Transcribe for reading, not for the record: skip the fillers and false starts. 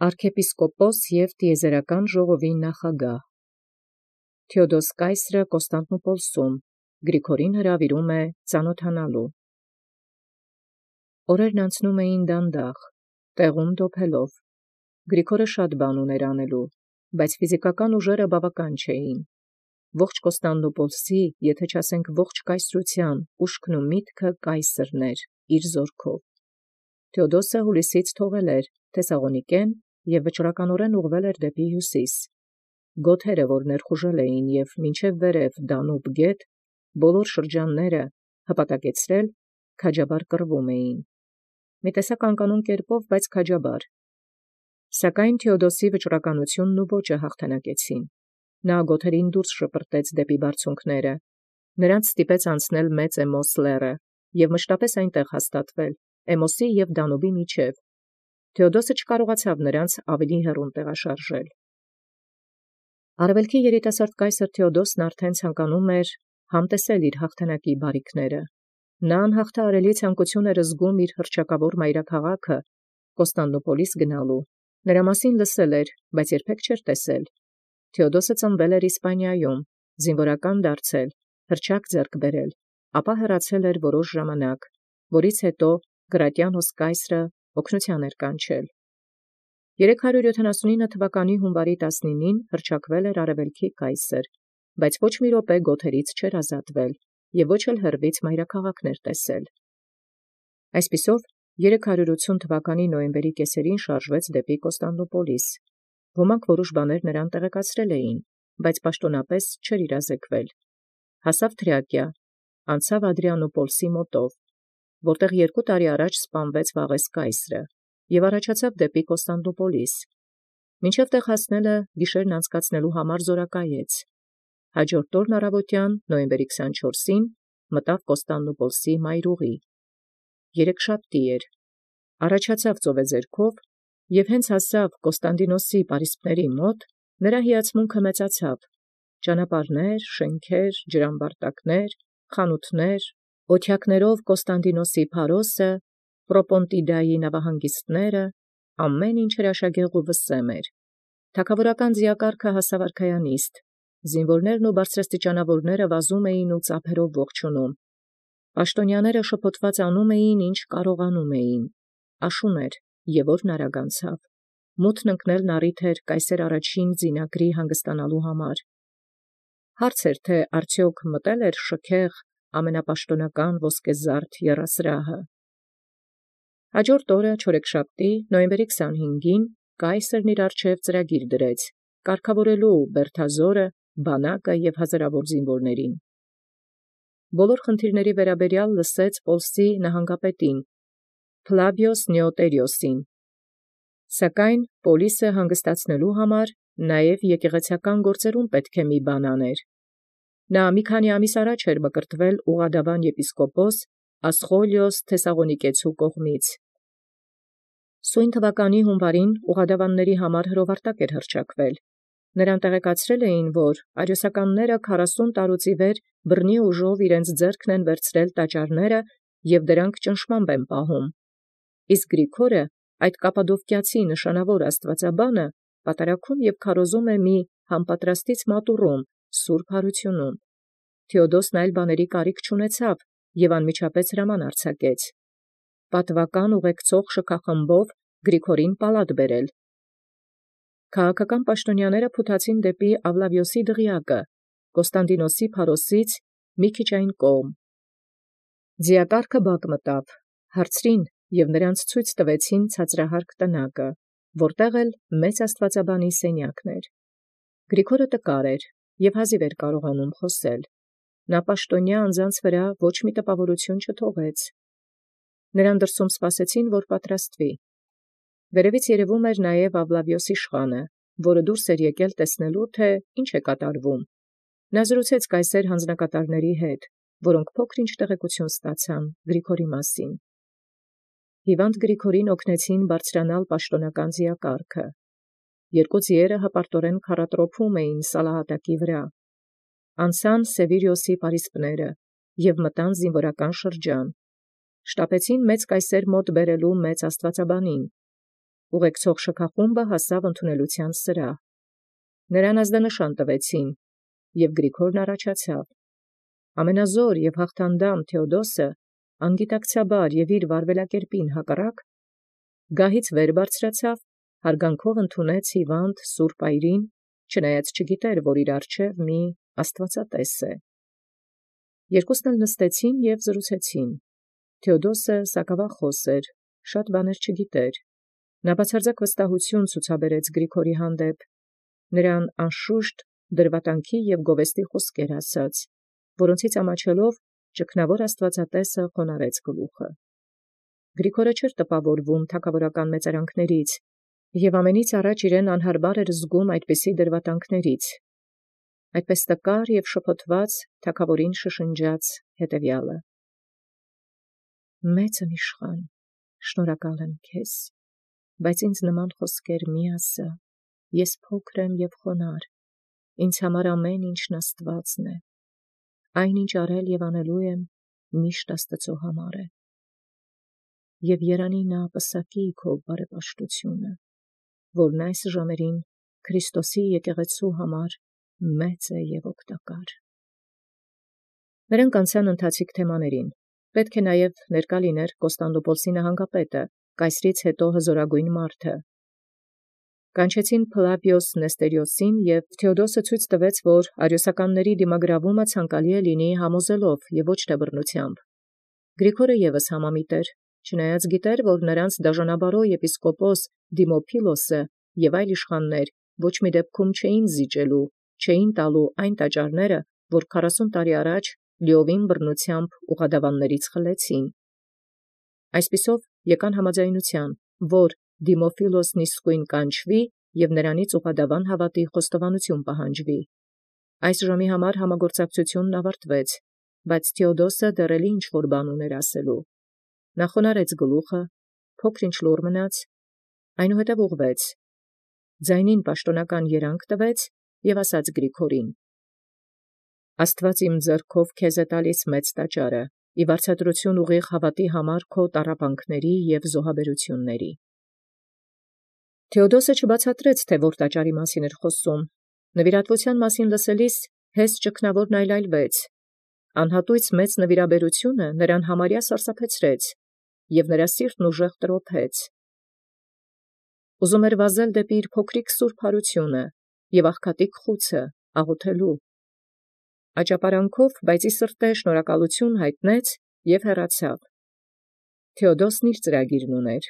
Արքեպիսկոպոս և տիեզերական ժողովի նախագահ Թէոդոս կայսրը Կոստանդնուպոլսում Գրիգորին հրավիրում է ծանոթանալու։ Օրերն անցնում էին դանդաղ, տեղում դոփելով։ Գրիգորը շատ բան ուներ անելու, բայց ֆիզիկական ուժերը բավական չէին։ Ողջ Կոստանդնուպոլսի, եթե չասենք ողջ կայսրության, ուշքն ու միտքը կայսրն էր, իր զորքով։ Թէոդոսը հուլիսից թողել էր Թեսաղոնիկեն և վճռականորեն ուղղվել էր դեպի հյուսիս։ Գոթերը, որ ներխուժել էին և մինչև վերև Դանուբ գետ, բոլոր շրջանները հպատակեցրել, քաջաբար կռվում էին։ Մի տեսակ անկանոն կերպով, բայց քաջաբար։ Սակայն Թէոդոսի վճռականությունն ու ոճը հաղթանակեցին։ Նա գոթերին դուրս շպրտեց դեպի բարձունքները, նրանց ստիպեց անցնել մեծ Էմոս լեռը և մշտապես այնտեղ հաստատվել, Էմոսի և Դանուբի միջև։ Թէոդոսը չկարողացավ նրանց ավելի հեռուն տեղաշարժել։ Արևելքի երիտասարդ կայսր Թէոդոսն արդեն ցանկանում էր համտեսել իր հաղթանակի բարիքները։ Նա անհաղթահարելի ցանկություն էր զգում իր հռչակավոր մայրաքաղաքը Կոստանդնուպոլիս գնալու։ Նրա մասին լսել էր, բայց երբեք չէր տեսել։ Թէոդոսը ծնվել էր Իսպանիայում, զինվորական դարձել, հռչակ ձեռք բերել, ապա հեռացել էր որոշ ժամանակ, որից հետո Գրատիանոս կայսրը օգնության էր կանչել։ 379 թվականի հունվարի 19-ին հռչակվել էր արևելքի կայսր, բայց ոչ մի րոպե գոթերից չէր ազատվել և ոչ էլ հեռվից մայրաքաղաքներ տեսել։ Այսպիսով 380 թվականի նոյեմբերի կեսերին շարժվեց դեպի Կոստանդնուպոլիս։ Ոմանք որոշ բաներ նրան տեղեկացրել էին, բայց պաշտոնապես չէր իրազեկվել։ Հասավ Թրիակիա, անցավ Ադրիանոպոլսի մոտով, որտեղ 2 տարի առաջ սպանվեց Վաղես կայսրը, և առաջացավ դեպի Կոստանդնուպոլիս։ Մինչև տեղ հասնելը գիշերն անցկացնելու համար զորակայեց։ Հաջորդ օրն առավոտյան նոյեմբերի 24-ին մտավ Կոստանդնուպոլսի մայրուղի։ Երեքշաբթի էր, առաջացավ ծովեձեռքով և հենց հասավ Կոստանդինոսի պարիսպների մոտ, նրա հիացմունքը մեծացավ. ճանապարհներ, շենքեր, ջրամբարտակներ, խանութներ, օթյակներով Կոստանդինոսի փարոսը, Պրոպոնտիդայի նավահանգիստները, ամեն ինչ հրաշագեղ ու վսեմ էր։ Թագավորական ձիակառքը հասավ արքայանիստ, զինվորներն ու բարձրաստիճանավորները վազում էին ու ծափերով ողջունում։ Պաշտոնյաները շփոթված անում էին, ինչ կարողանում էին։ Աշուն էր, և օրն արագ անցավ։ Մութն ընկնելն առիթ էր կայսեր առաջին ձինագրի հանգստանալու համար։ Հարց էր, թե արդյոք մտել էր շքեղ ամենապաշտոնական ոսկեզարդ եռասրահը։ Հաջորդ օրը չորեքշաբթի նոյեմբերի 25-ին կայսրն իր առջև ծրագիր դրեց, կարգավորելու Բերթազորը, բանակը և հազարավոր զինվորներին։ Բոլոր խնդիրների վերաբերյալ լսեց Պոլսի նահանգապետին Ֆլավիոս Նեոտերիոսին։ Սակայն Պոլիսը հանգստացնելու համար նաև եկեղեցական գործերում պետք է մի բան աներ։ Նա մի քանի ամիս առաջ էր մկրտվել ուղղադավան եպիսկոպոս Ասխոլիոս Թեսաղոնիկեցու կողմից։ Սույն թվականի հունվարին ուղղադավանների համար հրովարտակ էր հռչակվել։ Նրան տեղեկացրել էին, որ արիոսականները 40 տարուց ի վեր բռնի ուժով իրենց ձեռքն են վերցրել տաճարները և դրանք ճնշմամբ են պահում։ Իսկ Գրիգորը, այդ կապադովկիացի նշանավոր աստվածաբանը, պատարագում և քարոզում է մի համապատրաստից մատուռում, սուրբ հարությունում։ Թէոդոսն այլ բաների կարիք չունեցավ և անմիջապես հրաման արձակեց պատվական ուղեկցող շքախմբով Գրիգորին պալատ բերել։ Քաղաքական պաշտոնյաները փութացին դեպի Ավլավիոսի դղյակը, Կոստանդինոսի փարոսից մի քիչ այն կողմ։ Ձիակառքը բակ մտավ, հարցրին և նրանց ցույց տվեցին ցածրահարկ տնակը, որտեղ էլ մեծ աստվածաբանի սենյակն էր։ Գրիգորը տկար էր և հազիվ էր կարողանում խոսել։ Նա պաշտոնյա անձանց վրա ոչ մի տպավորություն չթողեց։ Նրան դրսում սպասեցին, որ պատրաստվի։ Վերևից երևում էր նաև Ավլավիոսի իշխանը, որը դուրս էր եկել տեսնելու, թե ինչ է կատարվում։ Նա զրուցեց կայսեր հանձնակատարների հետ, որոնք փոքր-ինչ տեղեկություն ստացան Գրիգորի մասին։ Հիվանդ Գրիգորին օգնեցին բարձրանալ պաշտոնական ձիակառքը։ 2 ձիերը հպարտորեն քառատրոփում էին սալահատակի վրա։ Անցան Սևիրիոսի պարիսպները և մտան զինվորական շրջան։ Շտապեցին մեծ կայսեր մոտ բերելու մեծ աստվածաբանին։ ուղեկցող շքախումբը հասավ ընդունելության սրահ։ Նրան ազդանշան տվեցին, և Գրիգորն առաջացավ։ Ամենազոր և հաղթանդամ Թէոդոսը անգիտակցաբար և իր վարվելակերպին հակառակ գահից վեր բարձրացավ, հարգանքով ընդունեց հիվանդ սուրբ այրին, չնայած չգիտեր, որ իր առջև մի աստվածատես է։ Երկուսն էլ նստեցին և զրուցեցին։ Թէոդոսը սակավախոս էր, շատ բաներ չգիտեր։ Նա բացարձակ վստահություն ցուցաբերեց Գրիգորի հանդեպ, նրան անշուշտ դրվատանքի և գովեստի խոսքեր ասաց, որոնցից ամաչելով ճգնավոր աստվածատեսը խոնարհեց գլուխը։ Գրիգորը չէր տպավորվում թագավորական մեծարանքներից, և ամենից առաջ իրեն անհարմար էր զգում այդպիսի դրվատանքներից։ Այդպես տկար և շփոթված թագավորին շշնջաց հետևյալը. «Մեծն իշխան, շնորհակալ եմ քեզ, բայց ինձ նման խոսքեր մի ասա, ես փոքր եմ և խոնարհ, ինձ համար ամեն ինչն Աստվածն է, այն ինչ արել և անելու եմ, միշտ Աստծո համար է, և երանի նա պսակի քո բարեպաշտությունը, որն այս ժամերին Քրիստոսի եկեղեցու համար մեծ է և օգտակար»։ Նրանք անցան ընթացիկ թեմաներին։ Պետք է նաև ներկա լիներ Կոստանդնուպոլսի նահանգապետը, կայսրից հետո հզորագույն մարդը։ Կանչեցին Փլավիոս Նեստերիոսին, և Թէոդոսը ցույց տվեց, որ արիոսականների դիմագրավումը ցանկալի է լինի համոզելով և ոչ թե բռնությամբ։ Գրիգորը ևս համամիտ էր, չնայած գիտեր, որ նրանց դաժանաբարոյ եպիսկոպոս Դիմոփիլոսը և այլ իշխաններ ոչ մի դեպքում չէին զիջելու, չէին տալու այն տաճարները, որ 40 տարի առաջ լիովին բռնությամբ ուղղադավաններից խլեցին։ Այսպիսով եկան համաձայնության, որ Դիմոփիլոսն իսկույն կանչվի և նրանից ուղղադավան հավատի խոստովանություն պահանջվի։ Այս ժամի համար համագործակցությունն ավարտվեց, բայց Թէոդոսը դեռ էլի ինչ-որ բան ուներ ասելու։ Նա խոնարհեց գլուխը, փոքր-ինչ լուռ մնաց, այնուհետև ուղղվեց, ձայնին պաշտոնական երանգ տվեց և ասաց Գրիգորին. «Աստված իմ ձեռքով քեզ է տալիս մեծ տաճարը, ի վարձատրություն ուղիղ հավատի համար քո տառապանքների և զոհաբերությունների»։ Թէոդոսը չբացատրեց, թե որ տաճարի մասին էր խոսում։ Նվիրատվության մասին լսելիս հես ճգնավորն այլայլվեց։ Անհատույց մեծ նվիրաբերությունը նրան համարյա սարսափեցրեց, և նրա սիրտն ուժեղ տրոփեց։ Ուզում էր վազել դեպի իր փոքրիկ սուրբ հարությունը և աղքատիկ խուցը աղոթելու։ Աճապարանքով, բայց ի սրտե շնորհակալություն հայտնեց և հեռացավ։ Թէոդոսն իր ծրագիրն ուներ։